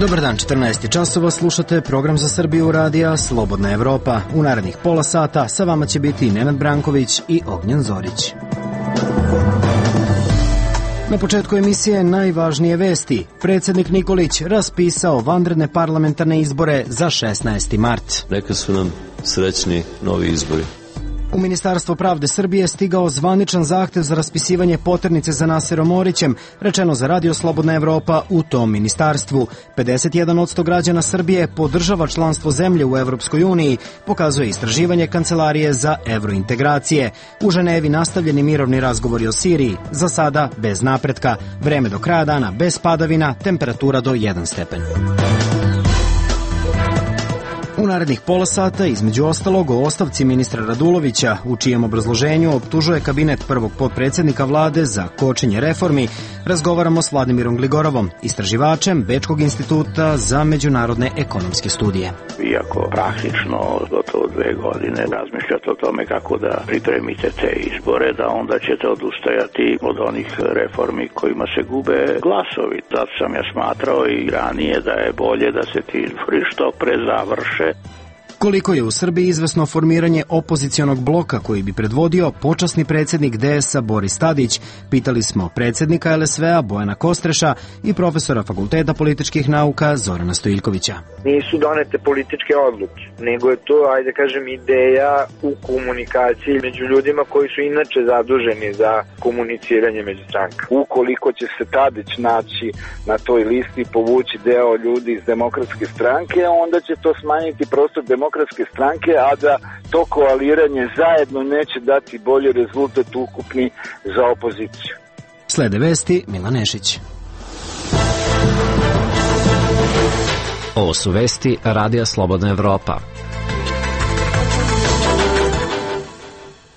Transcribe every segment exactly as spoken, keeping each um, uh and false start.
Dobar dan, četrnaest časova, slušate program za Srbiju radija Slobodna Evropa. U narednih pola sata sa vama će biti Nenad Branković i Ognjen Zorić. Na početku emisije najvažnije vesti. Predsjednik Nikolić raspisao vanredne parlamentarne izbore za šesnaesti mart. Neka su nam srećni novi izbori. U Ministarstvo pravde Srbije stigao zvaničan zahtev za raspisivanje poternice za Naserom Orićem, rečeno za Radio Slobodna Evropa u tom ministarstvu. pedeset jedan posto građana Srbije podržava članstvo zemlje u Evropskoj uniji, pokazuje istraživanje Kancelarije za evrointegracije. U Ženevi nastavljeni mirovni razgovori o Siriji, za sada bez napretka. Vreme do kraja dana bez padavina, temperatura do jedan stepen. U narednih pola sata, između ostalog, o ostavci ministra Radulovića, u čijem obrazloženju optužuje kabinet prvog potpredsjednika vlade za kočenje reformi, razgovaramo s Vladimirom Gligorovom, istraživačem Bečkog instituta za međunarodne ekonomske studije. Iako praktično gotovo dve godine razmišljate o tome kako da pripremite te izbore, da onda ćete odustajati od onih reformi kojima se gube glasovi. Zato sam ja smatrao i ranije da je bolje da se ti izbori što pre završe. Koliko je u Srbiji izvesno formiranje opozicionog bloka koji bi predvodio počasni predsjednik D S-a Boris Tadić, pitali smo predsjednika L S V-a Bojana Kostreša i profesora Fakulteta političkih nauka Zorana Stojiljkovića. Nisu donete političke odluke, nego je to, ajde kažem, ideja u komunikaciji među ljudima koji su inače zaduženi za komuniciranje među strankama. Ukoliko će se Tadić naći na toj listi i povući deo ljudi iz Demokratske stranke, onda će to smanjiti prostor demokratske stranke, a da to koaliranje zajedno neće dati bolji rezultat ukupni za opoziciju. Slede vesti, Milan Nešić. Ovo su vesti Radija Slobodna Evropa.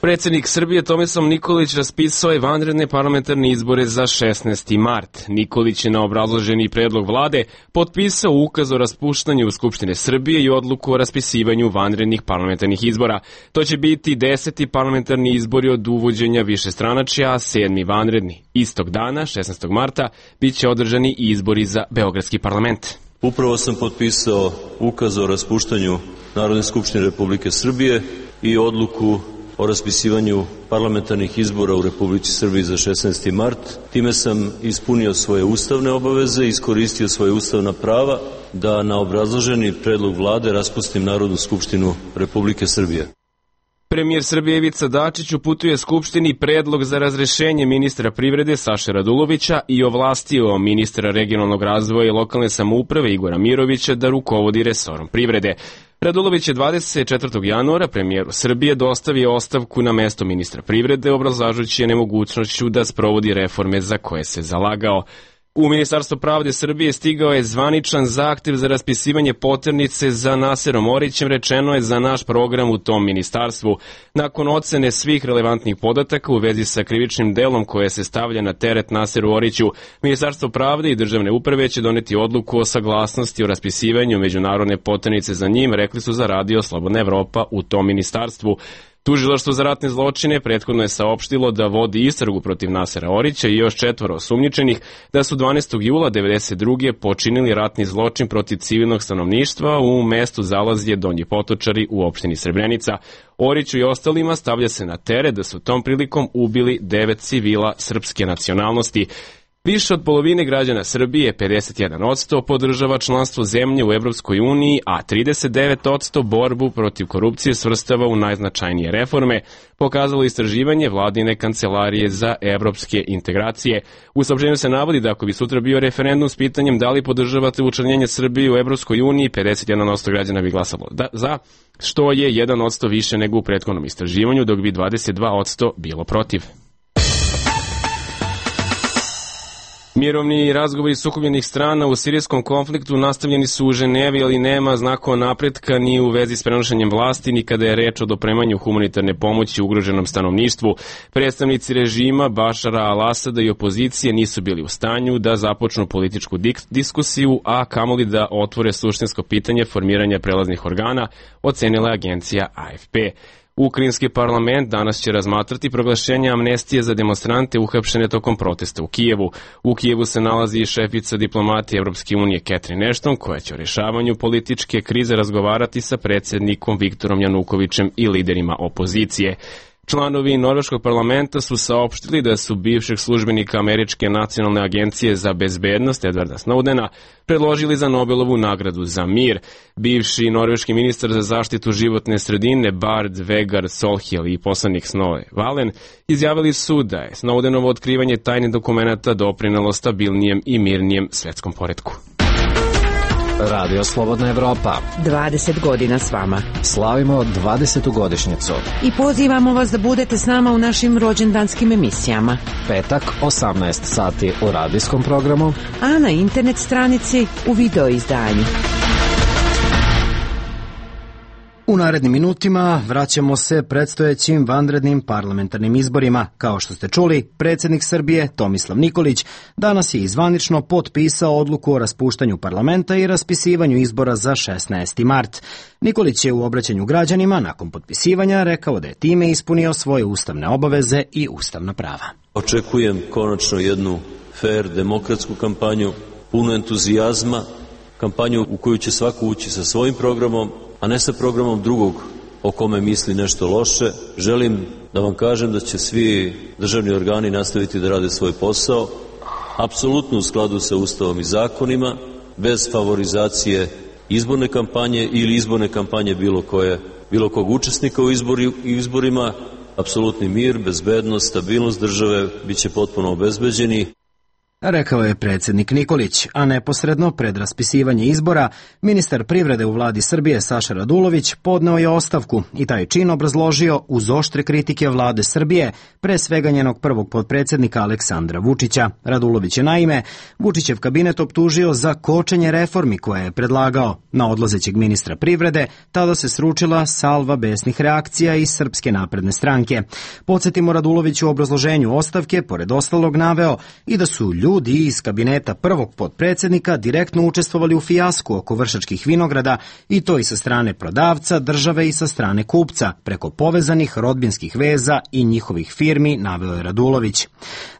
Predsjednik Srbije Tomislav Nikolić raspisao je vanredne parlamentarne izbore za šesnaesti mart. Nikolić je na obrazloženi predlog vlade potpisao ukaz o raspuštanju Skupštine Srbije i odluku o raspisivanju vanrednih parlamentarnih izbora. To će biti deseti parlamentarni izbori od uvođenja višestranačja, a sedmi vanredni. Istog dana, šesnaestog marta, bit će održani i izbori za Beogradski parlament. Upravo sam potpisao ukaz o raspuštanju Narodne skupštine Republike Srbije i odluku o raspisivanju parlamentarnih izbora u Republici Srbiji za šesnaesti mart. Time sam ispunio svoje ustavne obaveze i iskoristio svoje ustavna prava da na obrazloženi predlog vlade raspustim Narodnu skupštinu Republike Srbije. Premijer Srbije Ivica Dačić uputuje Skupštini predlog za razrešenje ministra privrede Saše Radulovića i ovlastio ministra regionalnog razvoja i lokalne samouprave Igora Mirovića da rukovodi resorom privrede. Radulović je dvadeset četvrtog januara premijeru Srbije dostavio ostavku na mesto ministra privrede, obrazlažući je nemogućnošću da sprovodi reforme za koje se zalagao. U Ministarstvo pravde Srbije stigao je zvaničan zahtev za raspisivanje poternice za Naserom Orićem, rečeno je za naš program u tom ministarstvu. Nakon ocene svih relevantnih podataka u vezi sa krivičnim delom koje se stavlja na teret Naseru Oriću, Ministarstvo pravde i državne uprave će doneti odluku o saglasnosti o raspisivanju međunarodne poternice za njim, rekli su za Radio Slobodna Evropa u tom ministarstvu. Tužilaštvo za ratne zločine prethodno je saopštilo da vodi istragu protiv Nasera Orića i još četvoro osumnjičenih da su dvanaestog jula devedeset druge počinili ratni zločin protiv civilnog stanovništva u mestu Zalazje Donji Potočari u opštini Srebrenica. Oriću i ostalima stavlja se na teret da su tom prilikom ubili devet civila srpske nacionalnosti. Više od polovine građana Srbije, pedeset jedan posto, podržava članstvo zemlje u Evropskoj uniji, a trideset devet posto borbu protiv korupcije svrstava u najznačajnije reforme, pokazalo istraživanje vladine Kancelarije za evropske integracije. U saopštenju se navodi da ako bi sutra bio referendum s pitanjem da li podržavate učlanjenje Srbije u Evropskoj uniji, pedeset jedan posto građana bi glasalo da, za, što je jedan posto više nego u prethodnom istraživanju, dok bi dvadeset dva posto bilo protiv. Mirovni razgovori sukobljenih strana u sirijskom konfliktu nastavljeni su u Ženevi, ali nema znakova napretka ni u vezi s prenošenjem vlasti, ni kada je reč o dopremanju humanitarne pomoći ugroženom stanovništvu. Predstavnici režima Bašara al-Asada i opozicije nisu bili u stanju da započnu političku diskusiju, a kamoli da otvore suštinsko pitanje formiranja prelaznih organa, ocenila je agencija A F P. Ukrajinski parlament danas će razmatrati proglašenje amnestije za demonstrante uhapšene tokom protesta u Kijevu. U Kijevu se nalazi i šefica diplomatije Evropske unije Catherine Ashton, koja će o rješavanju političke krize razgovarati sa predsjednikom Viktorom Janukovićem i liderima opozicije. Članovi norveškog parlamenta su saopštili da su bivšeg službenika Američke nacionalne agencije za bezbednost Edwarda Snowdena predložili za Nobelovu nagradu za mir. Bivši norveški ministar za zaštitu životne sredine Bard Vegar Solhjel i poslanik Snorre Valen izjavili su da je Snowdenovo otkrivanje tajnih dokumenata doprinelo stabilnijem i mirnijem svetskom poretku. Radio Slobodna Evropa. dvadeset godina s vama. Slavimo dvadesetu godišnjicu. I pozivamo vas da budete s nama u našim rođendanskim emisijama. Petak, osamnaest sati u radijskom programu, a na internet stranici u video izdanju. U narednim minutima vraćamo se predstojećim vanrednim parlamentarnim izborima. Kao što ste čuli, predsjednik Srbije Tomislav Nikolić danas je izvanično potpisao odluku o raspuštanju parlamenta i raspisivanju izbora za šesnaesti mart. Nikolić je u obraćanju građanima nakon potpisivanja rekao da je time ispunio svoje ustavne obaveze i ustavna prava. Očekujem konačno jednu fer, demokratsku kampanju, punu entuzijazma, kampanju u koju će svako ući sa svojim programom, a ne sa programom drugog o kome misli nešto loše. Želim da vam kažem da će svi državni organi nastaviti da rade svoj posao, apsolutno u skladu sa Ustavom i zakonima, bez favorizacije izborne kampanje ili izborne kampanje bilo koje, bilo kog učesnika u izbori, izborima. Apsolutni mir, bezbednost, stabilnost države bit će potpuno obezbeđeni. Rekao je predsjednik Nikolić, a neposredno pred raspisivanje izbora, ministar privrede u vladi Srbije Saša Radulović podneo je ostavku i taj čin obrazložio uz oštre kritike vlade Srbije, pre svega njenog prvog potpredsjednika Aleksandra Vučića. Radulović je naime Vučićev kabinet optužio za kočenje reformi koje je predlagao. Na odlazećeg ministra privrede tada se sručila salva besnih reakcija iz Srpske napredne stranke. Podsjetimo, Radulović u obrazloženju ostavke, pored ostalog, naveo i da su ljudi Ljudi iz kabineta prvog potpredsjednika direktno učestvovali u fijasku oko Vršačkih vinograda i to i sa strane prodavca, države i sa strane kupca, preko povezanih rodbinskih veza i njihovih firmi, naveo je Radulović.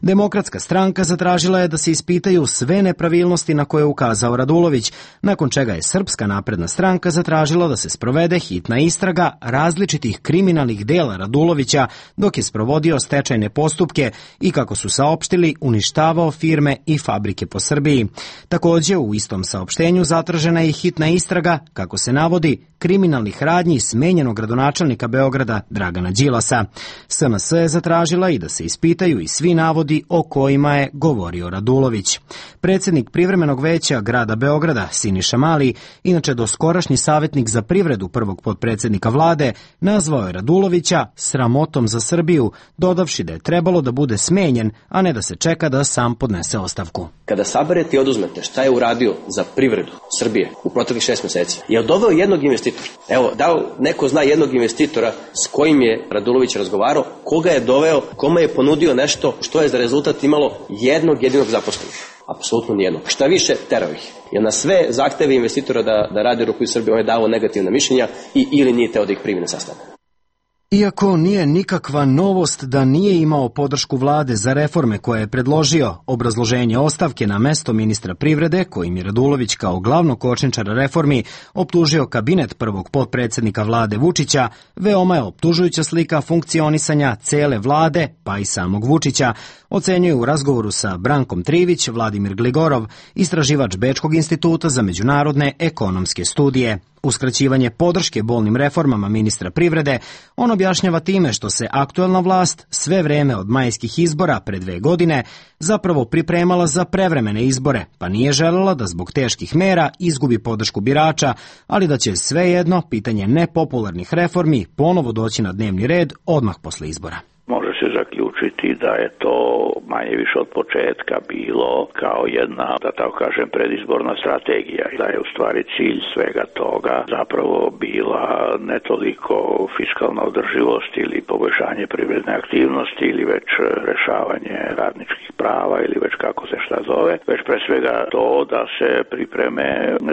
Demokratska stranka zatražila je da se ispitaju sve nepravilnosti na koje je ukazao Radulović, nakon čega je Srpska napredna stranka zatražila da se sprovede hitna istraga različitih kriminalnih dela Radulovića dok je sprovodio stečajne postupke i, kako su saopštili, uništavao firme i fabrike po Srbiji. Također, u istom saopštenju zatražena je hitna istraga, kako se navodi, kriminalnih radnji smenjenog gradonačelnika Beograda Dragana Đilasa. S N S je zatražila i da se ispitaju i svi navodi o kojima je govorio Radulović. Predsjednik privremenog veća grada Beograda Siniša Mali, inače doskorašnji savjetnik za privredu prvog potpredsjednika vlade, nazvao je Radulovića sramotom za Srbiju, dodavši da je trebalo da bude smenjen, a ne da se čeka da sam podnese ostavku. Kada saberete i oduzmete šta je uradio za privredu Srbije u proteklih šest mjeseci, je li doveo jednog investitora? Evo, da li neko zna jednog investitora s kojim je Radulović razgovarao, koga je doveo, kome je ponudio nešto što je za rezultat imalo jednog jedinog zaposlenog? Apsolutno nijednog. Šta više, terao ih. Jer na sve zahteve investitora da, da radi ruku iz Srbije, on je dao negativna mišljenja i ili nije teo da ih primi na sastanak. Iako nije nikakva novost da nije imao podršku vlade za reforme koje je predložio, obrazloženje ostavke na mesto ministra privrede, kojim je Radulović kao glavnog kočničara reformi optužio kabinet prvog potpredsjednika vlade Vučića, veoma je optužujuća slika funkcionisanja cele vlade, pa i samog Vučića, ocenjuje u razgovoru sa Brankom Trivić Vladimir Gligorov, istraživač Bečkog instituta za međunarodne ekonomske studije. Uskraćivanje podrške bolnim reformama ministra privrede on objašnjava time što se aktuelna vlast sve vreme od majskih izbora pre dve godine zapravo pripremala za prevremene izbore, pa nije želela da zbog teških mera izgubi podršku birača, ali da će svejedno pitanje nepopularnih reformi ponovo doći na dnevni red odmah posle izbora. Može se zaključiti da je to manje više od početka bilo kao jedna, da tako kažem, predizborna strategija. Da je u stvari cilj svega toga zapravo bila ne toliko fiskalna održivost ili poboljšanje privredne aktivnosti ili već rešavanje radničkih prava ili već kako se šta zove, već pre svega to da se pripreme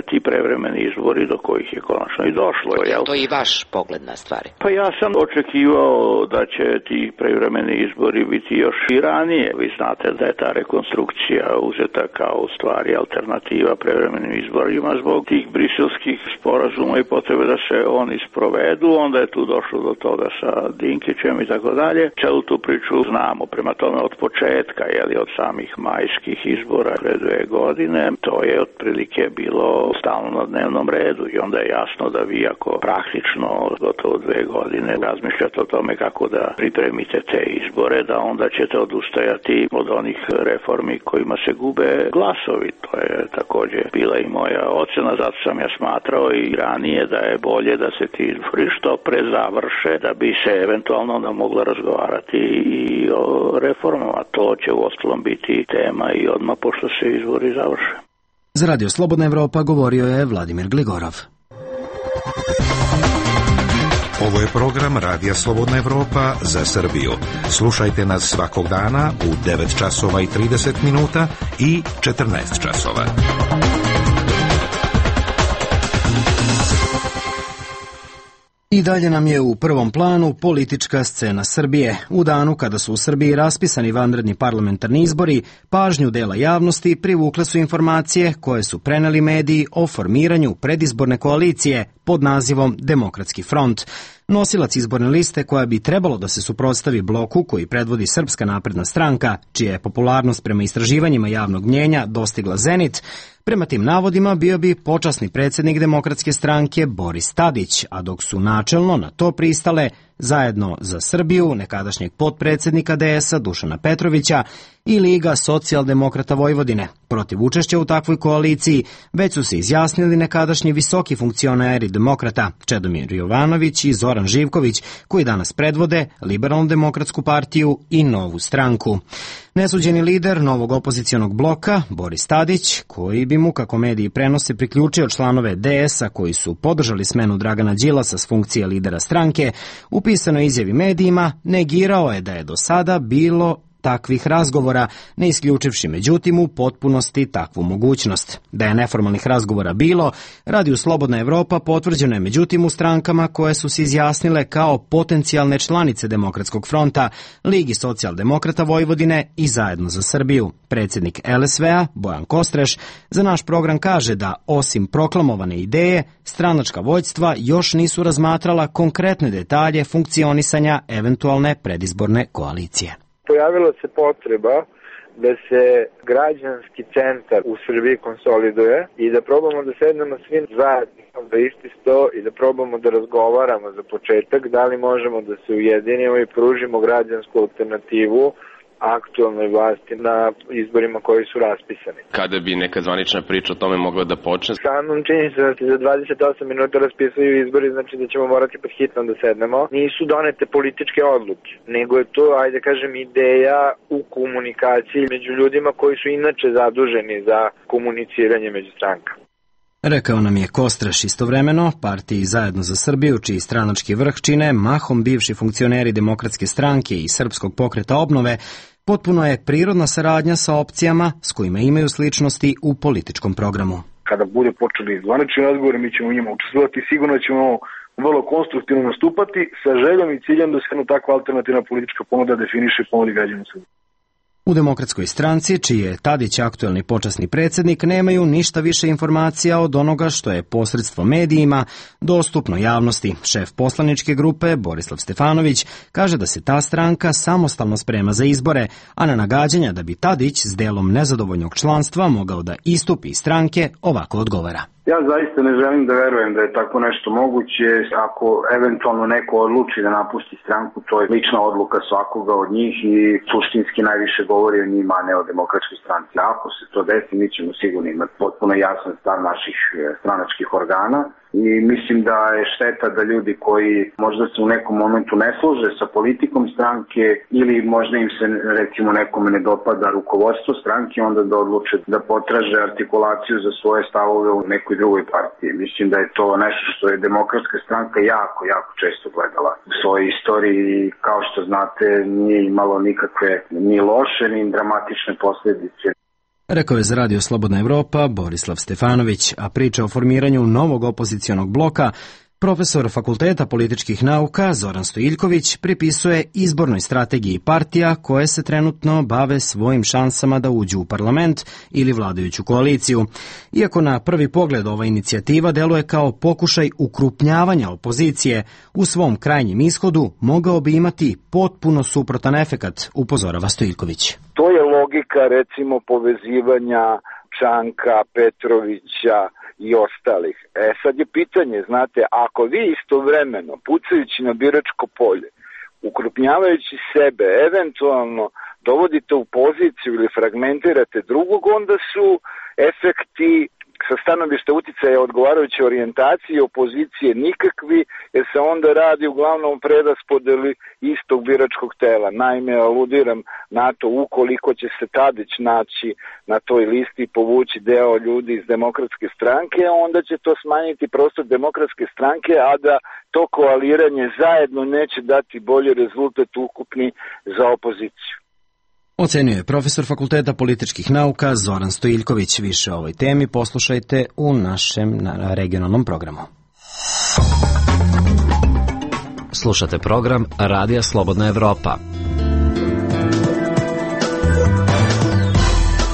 ti prevremeni izbori do kojih je konačno i došlo. Jel? To je i vaš pogled na stvari. Pa ja sam očekivao da će ti prevremeni izbori biti još i ranije. Vi znate da je ta rekonstrukcija uzeta kao u stvari alternativa prevremenim izborima zbog tih briselskih sporazuma i potrebe da se oni sprovedu. Onda je tu došlo do toga sa Dinkićem i tako dalje. Celu tu priču znamo. Prema tome od početka, jeli, od samih majskih izbora pre dve godine, to je otprilike bilo stalno na dnevnom redu i onda je jasno da vi ako praktično gotovo dve godine razmišljate o tome kako da pripremite te izbore, da onda ćete odustajati od onih reformi kojima se gube glasovi. To je također bila i moja ocena, zato sam ja smatrao i ranije da je bolje da se ti izbori što pre završe, da bi se eventualno onda moglo razgovarati i o reformama. To će u ostalom biti tema i odmah pošto se izbori završe. Za Radio Slobodna Evropa govorio je Vladimir Gligorov. Ovo je program Radija Slobodna Evropa za Srbiju. Slušajte nas svakog dana u devet časova i trideset minuta i četrnaest časova. I dalje nam je u prvom planu politička scena Srbije. U danu kada su u Srbiji raspisani vanredni parlamentarni izbori, pažnju dela javnosti privukle su informacije koje su preneli mediji o formiranju predizborne koalicije pod nazivom Demokratski front. Nosilac izborne liste koja bi trebalo da se suprotstavi bloku koji predvodi Srpska napredna stranka, čija je popularnost prema istraživanjima javnog mnjenja dostigla zenit, prema tim navodima bio bi počasni predsjednik Demokratske stranke Boris Tadić, a dok su načelno na to pristale Zajedno za Srbiju, nekadašnjeg potpredsjednika D S-a Dušana Petrovića i Liga socijaldemokrata Vojvodine. Protiv učešća u takvoj koaliciji već su se izjasnili nekadašnji visoki funkcioneri demokrata Čedomir Jovanović i Zoran Živković, koji danas predvode Liberalno-demokratsku partiju i Novu stranku. Nesuđeni lider novog opozicionog bloka, Boris Tadić, koji bi mu, kako mediji prenose, priključio članove D S-a koji su podržali smenu Dragana Đilasa s funkcije lidera stranke, u pisanoj izjavi medijima negirao je da je do sada bilo takvih razgovora, ne isključivši međutim u potpunosti takvu mogućnost. Da je neformalnih razgovora bilo, Radio Slobodna Evropa potvrđeno je međutim u strankama koje su se izjasnile kao potencijalne članice Demokratskog fronta, Ligi socijaldemokrata Vojvodine i Zajedno za Srbiju. Predsjednik L S V-a, Bojan Kostreš, za naš program kaže da, osim proklamovane ideje, stranačka vođstva još nisu razmatrala konkretne detalje funkcionisanja eventualne predizborne koalicije. Pojavila se potreba da se građanski centar u Srbiji konsoliduje i da probamo da sednemo svi zajedno da isti sto i da probamo da razgovaramo za početak da li možemo da se ujedinimo i pružimo građansku alternativu aktualnoj vlasti na izborima koji su raspisani. Kada bi neka zvanična priča o tome mogla da počne? Samom činjenica da se za dvadeset osam minuta raspisuju izbori, znači da ćemo morati pod hitno da sednemo. Nisu donete političke odluke, nego je to, ajde kažem, ideja u komunikaciji među ljudima koji su inače zaduženi za komuniciranje među strankama. Rekao nam je Kostreš. Istovremeno, partiji Zajedno za Srbiju, čiji stranački vrh čine mahom bivši funkcioneri Demokratske stranke i Srpskog pokreta obnove, potpuno je prirodna saradnja sa opcijama s kojima imaju sličnosti u političkom programu. Kada bude počeli zvanični razgovori, mi ćemo u njima učestvovati, sigurno ćemo vrlo konstruktivno nastupati sa željom i ciljem da se jedna takva alternativna politička ponuda definiše i ponudi građanima Srbije. U Demokratskoj stranci, čiji je Tadić aktuelni počasni predsjednik, nemaju ništa više informacija od onoga što je posredstvo medijima dostupno javnosti. Šef poslaničke grupe, Borislav Stefanović, kaže da se ta stranka samostalno sprema za izbore, a na nagađanja da bi Tadić s delom nezadovoljnog članstva mogao da istupi iz stranke ovako odgovara. Ja zaista ne želim da verujem da je tako nešto moguće. Ako eventualno neko odluči da napusti stranku, to je lična odluka svakoga od njih i suštinski najviše govori o njima, a ne o Demokratskoj stranci. Ako se to desi, mi ćemo sigurno imati potpuno jasan stav naših stranačkih organa i mislim da je šteta da ljudi koji možda se u nekom momentu ne služe sa politikom stranke ili možda im se recimo nekome ne dopada rukovodstvo stranke, onda da odluče da potraže artikulaciju za svoje stavove u nekoj drugoj partiji. Mislim da je to nešto što je Demokratska stranka jako, jako često gledala u svojoj istoriji i kao što znate nije imalo nikakve ni loše ni dramatične posljedice. Rekao je za Radio Slobodna Evropa Borislav Stefanović, a priča o formiranju novog opozicionog bloka profesor Fakulteta političkih nauka Zoran Stojiljković pripisuje izbornoj strategiji partija koje se trenutno bave svojim šansama da uđu u parlament ili vladajuću koaliciju. Iako na prvi pogled ova inicijativa deluje kao pokušaj ukrupnjavanja opozicije, u svom krajnjem ishodu mogao bi imati potpuno suprotan efekat, upozorava Stojiljković. To je logika recimo povezivanja Čanka, Petrovića i ostalih. E sad je pitanje, znate, ako vi istovremeno pucajući na biračko polje, ukrupnjavajući sebe, eventualno dovodite u poziciju ili fragmentirate drugog, onda su efekti sa stanovišta uticaja odgovarajuće orijentacije opozicije nikakvi, jer se onda radi uglavnom preraspodeli istog biračkog tela. Naime, aludiram na to, ukoliko će se Tadić naći na toj listi i povući deo ljudi iz Demokratske stranke, onda će to smanjiti prostor Demokratske stranke, a da to koaliranje zajedno neće dati bolji rezultat ukupni za opoziciju. Ocenio je profesor Fakulteta političkih nauka Zoran Stojiljković. Više o ovoj temi poslušajte u našem regionalnom programu. Slušate program Radija Slobodna Evropa.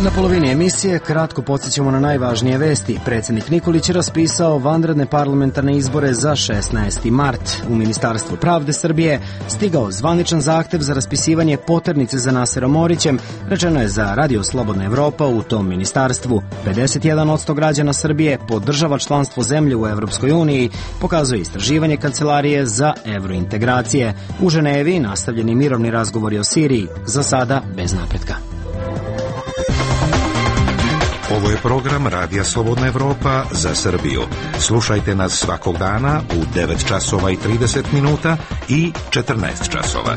Na polovini emisije kratko podsjećamo na najvažnije vesti. Predsjednik Nikolić je raspisao vanredne parlamentarne izbore za šesnaesti mart. U Ministarstvu pravde Srbije stigao zvaničan zahtev za raspisivanje poternice za Naserom Orićem, rečeno je za Radio Slobodna Evropa u tom ministarstvu. pedeset jedan posto građana Srbije podržava članstvo zemlje u Evropskoj uniji, pokazuje istraživanje Kancelarije za evrointegracije. U Ženevi nastavljeni mirovni razgovori o Siriji, za sada bez napretka. Ovo je program Radija Slobodna Evropa za Srbiju. Slušajte nas svakog dana u devet časova i trideset minuta i četrnaest časova.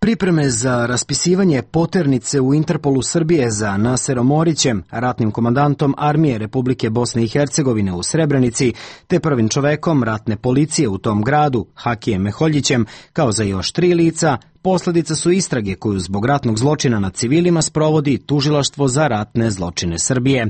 Pripreme za raspisivanje poternice u Interpolu Srbije za Naserom Orićem, ratnim komandantom Armije Republike Bosne i Hercegovine u Srebrenici, te prvim čovekom ratne policije u tom gradu, Hakijem Meholjićem, kao za još tri lica, posledica su istrage koju zbog ratnog zločina nad civilima sprovodi Tužilaštvo za ratne zločine Srbije.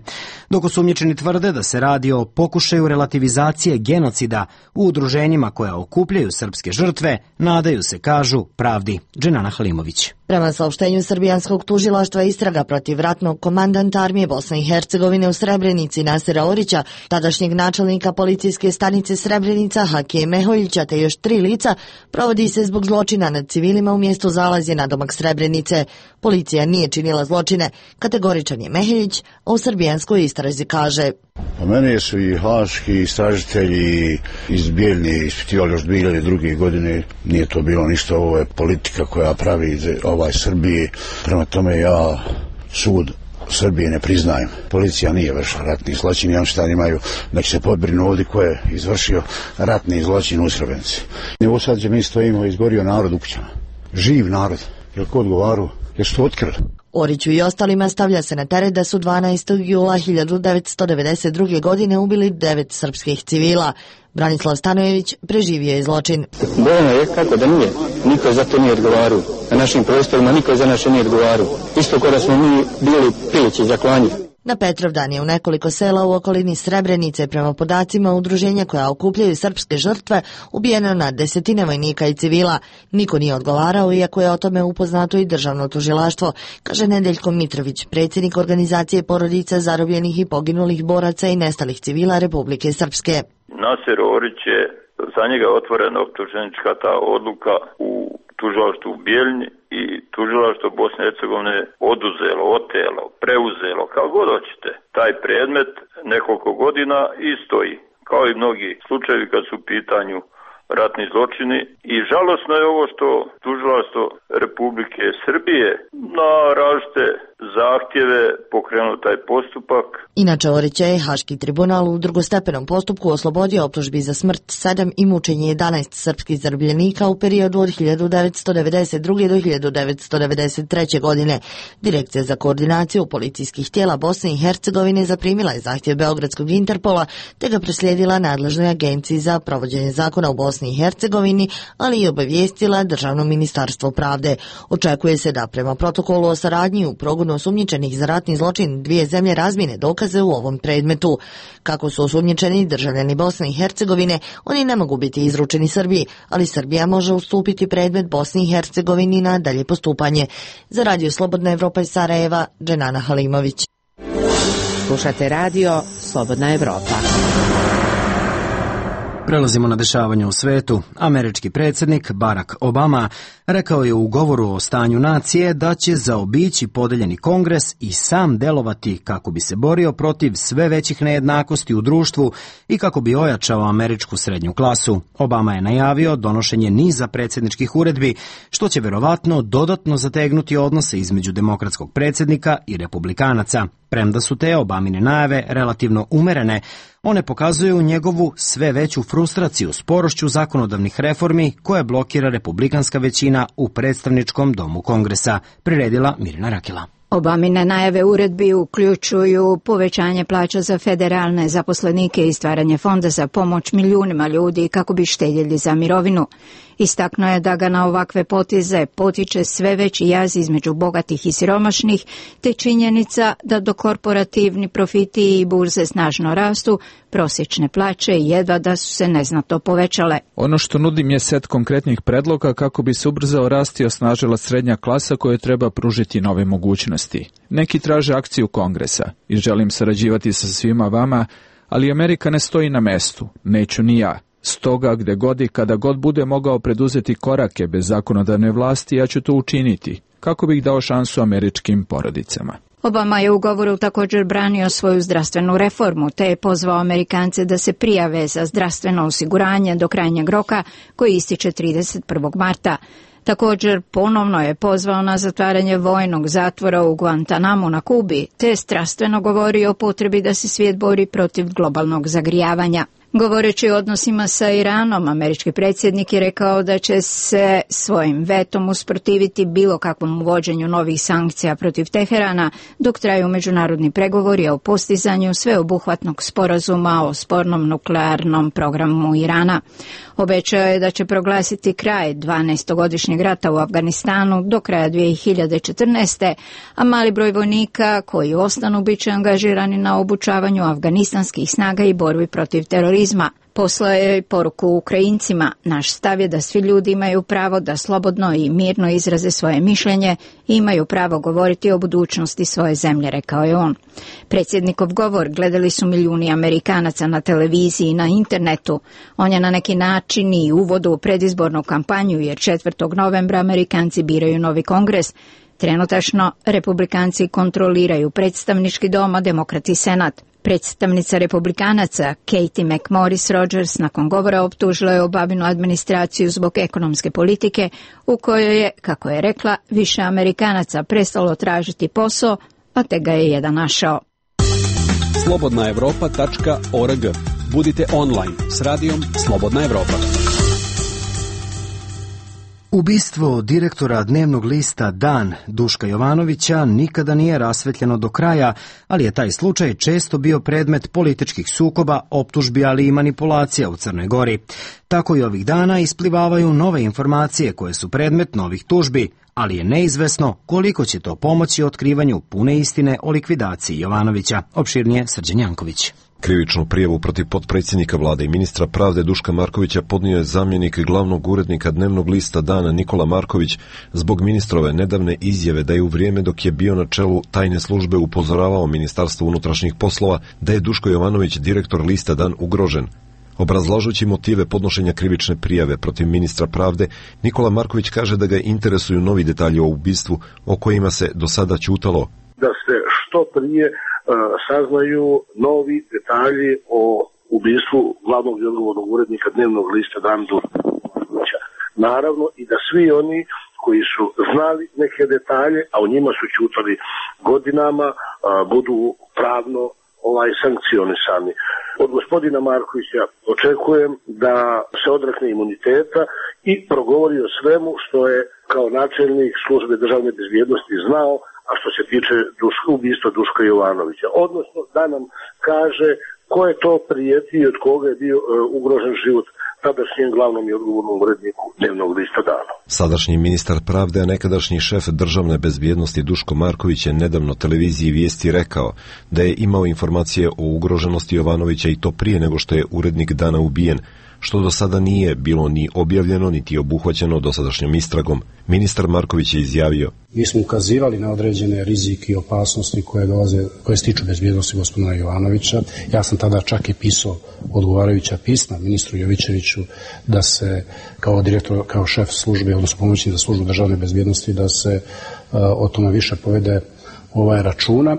Dok osumnjičeni tvrde da se radi o pokušaju relativizacije genocida u udruženjima koja okupljaju srpske žrtve, nadaju se, kažu, pravdi. Dženana Halimović. Prema saopštenju Srbijanskog tužilaštva, istraga protiv ratnog komandanta Armije Bosne i Hercegovine u Srebrenici Nasera Orića, tadašnjeg načelnika policijske stanice Srebrenica Hakije Meholjića te još tri lica, provodi se zbog zločina nad civilima u mjestu Zalazje na domak Srebrenice. Policija nije činila zločine, kategoričan je Meholjić, a u srbijanskoj istrazi kaže: Pa mene su i haški istražitelji iz Bijeljne ispitivali još dvije hiljade druge. godine. Nije to bilo ništa, ovo je politika koja pravi ovaj Srbije. Prema tome ja sud Srbije ne priznajem. Policija nije vršila ratni zločin i on šta imaju da će se podbrinu ovdje ko je izvršio ratni zločin u Srebrenici. Evo sad gdje mi stojimo, izgorio narod u kućama. Živ narod. Jel ko odgovaru? Jel su to otkrili? Oriću i ostalima stavlja se na teret da su dvanaestog jula hiljadu devetsto devedeset druge. godine ubili devet srpskih civila. Branislav Stanojević preživio je zločin. Bojeno je kako da nije. Niko za to nije odgovarao. Na našim prostorima niko za naše nije odgovarao. Isto kada smo mi bili priliči za klanje. Na Petrovdan je u nekoliko sela u okolini Srebrenice, prema podacima udruženja koja okupljaju srpske žrtve, ubijeno na desetine vojnika i civila. Niko nije odgovarao, iako je o tome upoznato i državno tužilaštvo, kaže Nedeljko Mitrović, predsjednik organizacije porodica zarobljenih i poginulih boraca i nestalih civila Republike Srpske. Naser Orić je, za njega je otvorena optuženička ta odluka u tužilaštvu u Bijeljni i tužilaštvo Bosne i Hercegovine oduzelo, otelo, preuzelo, kao god hoćete. Taj predmet nekoliko godina i stoji, kao i mnogi slučajevi kad su u pitanju ratni zločini. I žalosno je ovo što tužilaštvo Republike Srbije na različite zahtjeve taj postupak. Inače, Orića je Haški tribunal u drugostepenom postupku oslobodio optužbi za smrt sedam i mučenje jedanaest srpskih zarobljenika u periodu od hiljadu devetsto devedeset druge. do hiljadu devetsto devedeset treće. godine. Direkcija za koordinaciju policijskih tijela Bosne i Hercegovine zaprimila je zahtjev Beogradskog Interpola te ga preslijedila nadležnoj agenciji za provođenje zakona u Bosni i Hercegovini, ali i obavijestila Državno ministarstvo pravde. Očekuje se da prema protokolu o saradnji u progonu osumnjičenih za ratni zločin dvije zemlje razmijene dokaze u ovom predmetu. Kako su osumnjičeni državljani Bosne i Hercegovine, oni ne mogu biti izručeni Srbiji, ali Srbija može ustupiti predmet Bosni i Hercegovini na dalje postupanje. Za Radio Slobodna Evropa iz Sarajeva, Dženana Halimović. Slušate radio Slobodna Evropa. Prelazimo na dešavanje u svetu. Američki predsjednik Barack Obama rekao je u govoru o stanju nacije da će zaobići podeljeni kongres i sam delovati kako bi se borio protiv sve većih nejednakosti u društvu i kako bi ojačao američku srednju klasu. Obama je najavio donošenje niza predsjedničkih uredbi, što će verovatno dodatno zategnuti odnose između demokratskog predsjednika i republikanaca. Premda su te Obamine najave relativno umerene, one pokazuju njegovu sve veću frustraciju sporošću zakonodavnih reformi koje blokira republikanska većina u predstavničkom domu Kongresa, priredila Mirina Rakela. Obamine najave uredbi uključuju povećanje plaća za federalne zaposlenike i stvaranje fonda za pomoć milijunima ljudi kako bi štedjeli za mirovinu. Istaknuo je da ga na ovakve poteze potiče sve veći jaz između bogatih i siromašnih, te činjenica da do korporativni profiti i burze snažno rastu, prosječne plaće jedva da su se neznatno povećale. Ono što nudim je set konkretnih predloga kako bi se ubrzao rast i osnažila srednja klasa koje treba pružiti nove mogućnosti. Neki traže akciju Kongresa i želim sarađivati sa svima vama, ali Amerika ne stoji na mestu, neću ni ja. Stoga, gde god i kada god bude mogao preduzeti korake bez zakonodavne vlasti, ja ću to učiniti, kako bih dao šansu američkim porodicama. Obama je u govoru također branio svoju zdravstvenu reformu, te je pozvao Amerikance da se prijave za zdravstveno osiguranje do krajnjeg roka koji ističe trideset prvog marta. Također ponovno je pozvao na zatvaranje vojnog zatvora u Guantanamu na Kubi, te strastveno govorio o potrebi da se svijet bori protiv globalnog zagrijavanja. Govoreći o odnosima sa Iranom, američki predsjednik je rekao da će se svojim vetom usprotiviti bilo kakvom uvođenju novih sankcija protiv Teherana dok traju međunarodni pregovori o postizanju sveobuhvatnog sporazuma o spornom nuklearnom programu Irana. Obećao je da će proglasiti kraj dvanaestogodišnjeg rata u Afganistanu do kraja dvije hiljade četrnaeste. a mali broj vojnika koji ostanu bit će angažirani na obučavanju afganistanskih snaga i borbi protiv terorizma. Poslao je poruku Ukrajincima: naš stav je da svi ljudi imaju pravo da slobodno i mirno izraze svoje mišljenje i imaju pravo govoriti o budućnosti svoje zemlje, rekao je on. Predsjednikov govor gledali su milijuni Amerikanaca na televiziji i na internetu. On je na neki način i uvod u predizbornu kampanju, jer četvrtog novembra Amerikanci biraju novi kongres. Trenutačno republikanci kontroliraju predstavnički dom, a demokrati senat. Predstavnica republikanaca Katie McMorris Rogers nakon govora optužila je Obaminu administraciju zbog ekonomske politike u kojoj je, kako je rekla, više Amerikanaca prestalo tražiti posao, a te ga je jedan našao. slobodna evropa tačka org. Budite online s radijom Slobodna Evropa. Ubistvo direktora dnevnog lista Dan Duška Jovanovića nikada nije rasvetljeno do kraja, ali je taj slučaj često bio predmet političkih sukoba, optužbi, ali i manipulacija u Crnoj Gori. Tako i ovih dana isplivavaju nove informacije koje su predmet novih tužbi, ali je neizvesno koliko će to pomoći otkrivanju pune istine o likvidaciji Jovanovića. Opširnije Srđan Janković. Krivičnu prijavu protiv potpredsjednika vlade i ministra pravde Duška Markovića podnio je zamjenik glavnog urednika dnevnog lista Dana Nikola Marković zbog ministrove nedavne izjave da je u vrijeme dok je bio na čelu tajne službe upozoravao Ministarstvo unutrašnjih poslova da je Duško Jovanović, direktor lista Dan, ugrožen. Obrazlažući motive podnošenja krivične prijave protiv ministra pravde, Nikola Marković kaže da ga interesuju novi detalji o ubistvu o kojima se do sada ćutalo. Da se što prije saznaju novi detalji o ubistvu glavnog i odgovornog urednika dnevnog lista Dan Duška. Naravno i da svi oni koji su znali neke detalje, a o njima su ćutali godinama, a, budu pravno ovaj sankcionisani. Od gospodina Markovića očekujem da se odrekne imuniteta i progovori o svemu što je kao načelnik službe državne bezbjednosti znao, a što se tiče Duška, ubistva Duška Jovanovića. Odnosno da nam kaže ko je to prijetio i od koga je bio uh, ugrožen život tadašnjem glavnom i odgovornom uredniku Dnevnog lista Dana. Sadašnji ministar pravde, a nekadašnji šef državne bezbjednosti Duško Marković je nedavno televiziji Vijesti rekao da je imao informacije o ugroženosti Jovanovića i to prije nego što je urednik Dana ubijen, što do sada nije bilo ni objavljeno niti obuhvaćeno dosadašnjom istragom. Ministar Marković je izjavio: Mi smo ukazivali na određene rizike i opasnosti koje dolaze, koje stiču bezbjednosti gospodina Jovanovića. Ja sam tada čak i pisao odgovarajuća pisma ministru Jovićeviću da se kao direktor, kao šef službe, odnosno pomoćnik za službu državne bezbjednosti, da se uh, o tome više povede ovaj računa,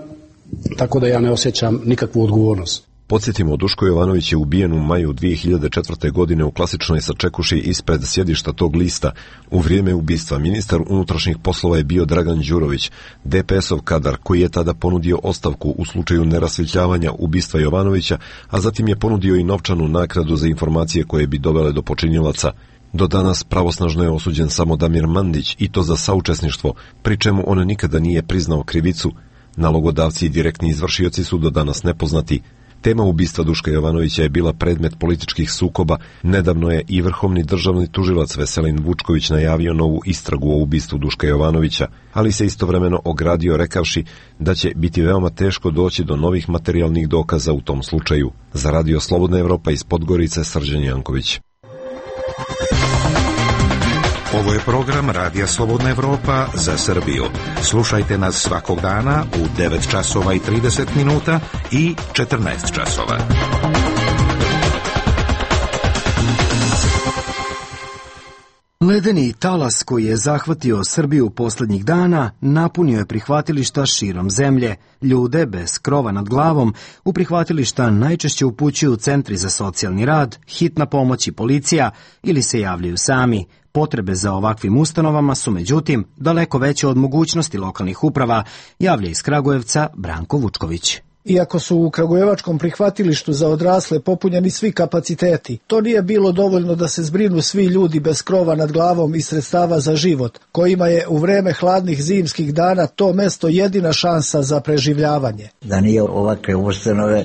tako da ja ne osjećam nikakvu odgovornost. Podsjetimo, Duško Jovanović je ubijen u maju dvije hiljade četvrte. godine u klasičnoj sačekuši ispred sjedišta tog lista. U vrijeme ubistva ministar unutrašnjih poslova je bio Dragan Đurović, de pe esov kadar koji je tada ponudio ostavku u slučaju nerasvjetljavanja ubistva Jovanovića, a zatim je ponudio i novčanu naknadu za informacije koje bi dovele do počinjilaca. Do danas pravosnažno je osuđen samo Damir Mandić, i to za saučesništvo, pri čemu on nikada nije priznao krivicu. Nalogodavci i direktni izvršioci su do danas nepoznati. Tema ubistva Duška Jovanovića je bila predmet političkih sukoba. Nedavno je i vrhovni državni tužilac Veselin Vučković najavio novu istragu o ubistvu Duška Jovanovića, ali se istovremeno ogradio rekavši da će biti veoma teško doći do novih materijalnih dokaza u tom slučaju. Za Radio Slobodna Evropa iz Podgorice, Srđan Janković. Ovo je program Radija Slobodna Evropa za Srbiju. Slušajte nas svakog dana u devet časova i trideset minuta i četrnaest časova. Ledeni talas koji je zahvatio Srbiju poslednjih dana napunio je prihvatilišta širom zemlje. Ljude bez krova nad glavom u prihvatilišta najčešće upućuju centri za socijalni rad, hitna pomoć i policija ili se javljaju sami. Potrebe za ovakvim ustanovama su, međutim, daleko veće od mogućnosti lokalnih uprava, javlja iz Kragujevca Branko Vučković. Iako su u kragujevačkom prihvatilištu za odrasle popunjeni svi kapaciteti, to nije bilo dovoljno da se zbrinu svi ljudi bez krova nad glavom i sredstava za život, kojima je u vreme hladnih zimskih dana to mesto jedina šansa za preživljavanje. Da nije ovakve ustanove,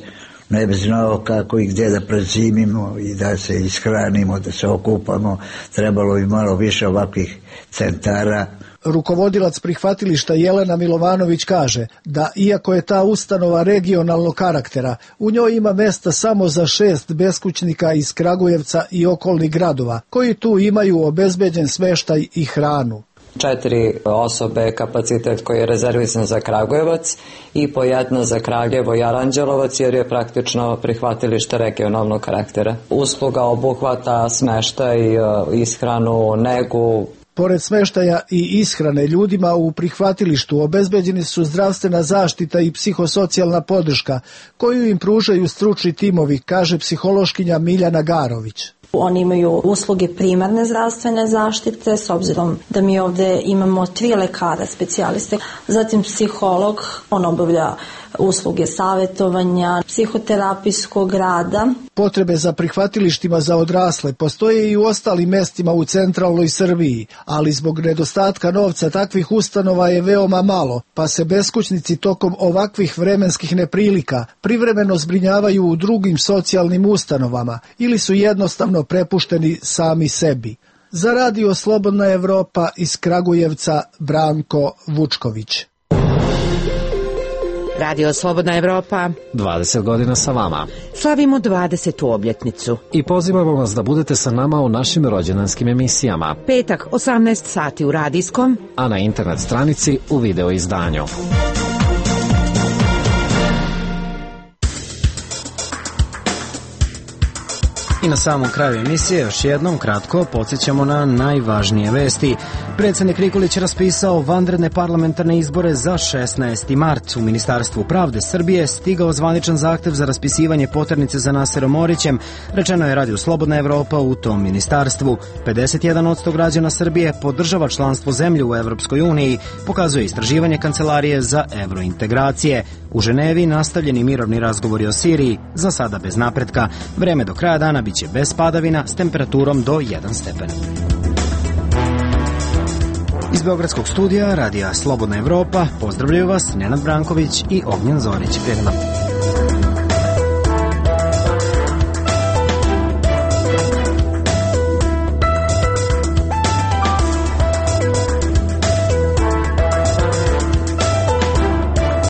ne bi znao kako i gdje da prezimimo i da se ishranimo, da se okupamo, trebalo bi malo više ovakvih centara. Rukovodilac prihvatilišta Jelena Milovanović kaže da iako je ta ustanova regionalnog karaktera, u njoj ima mesta samo za šest beskućnika iz Kragujevca i okolnih gradova, koji tu imaju obezbeđen smeštaj i hranu. Četiri osobe kapacitet koji je rezervisan za Kragujevac i po jedno za Kraljevo i Aranđelovac, jer je praktično prihvatilište regionalnog karaktera. Usluga obuhvata smeštaj, ishranu, negu. Pored smeštaja i ishrane ljudima u prihvatilištu obezbeđeni su zdravstvena zaštita i psihosocijalna podrška koju im pružaju stručni timovi, kaže psihološkinja Miljana Garović. Oni imaju usluge primarne zdravstvene zaštite, s obzirom da mi ovde imamo tri lekara specijaliste, zatim psiholog, on obavlja usluge savjetovanja, psihoterapijskog rada. Potrebe za prihvatilištima za odrasle postoje i u ostalim mestima u centralnoj Srbiji, ali zbog nedostatka novca takvih ustanova je veoma malo, pa se beskućnici tokom ovakvih vremenskih neprilika privremeno zbrinjavaju u drugim socijalnim ustanovama ili su jednostavno prepušteni sami sebi. Za Radio Slobodna Evropa iz Kragujevca Branko Vučković. Radio Slobodna Evropa. dvadeset godina sa vama. Slavimo dvadesetu obljetnicu. I pozivamo vas da budete sa nama u našim rođendanskim emisijama. Petak, osamnaest sati u radijskom, a na internet stranici u video izdanju. I na samom kraju emisije još jednom kratko podsjećamo na najvažnije vesti. Predsednik Nikolić raspisao vanredne parlamentarne izbore za šesnaesti mart. U Ministarstvu pravde Srbije stigao zvaničan zahtev za raspisivanje poternice za Naserom Orićem, rečeno je Radio Slobodna Evropa u tom ministarstvu. pedeset jedan posto građana Srbije podržava članstvo zemlje u Evropskoj uniji, pokazuje istraživanje Kancelarije za evrointegracije. U Ženevi nastavljeni mirovni razgovori o Siriji, za sada bez napretka. Vreme do kraja dana biće bez padavina s temperaturom do jedan stepen. Iz Beogradskog studija Radija Slobodna Evropa pozdravljaju vas Nenad Branković i Ognjen Zorić. Prijetno.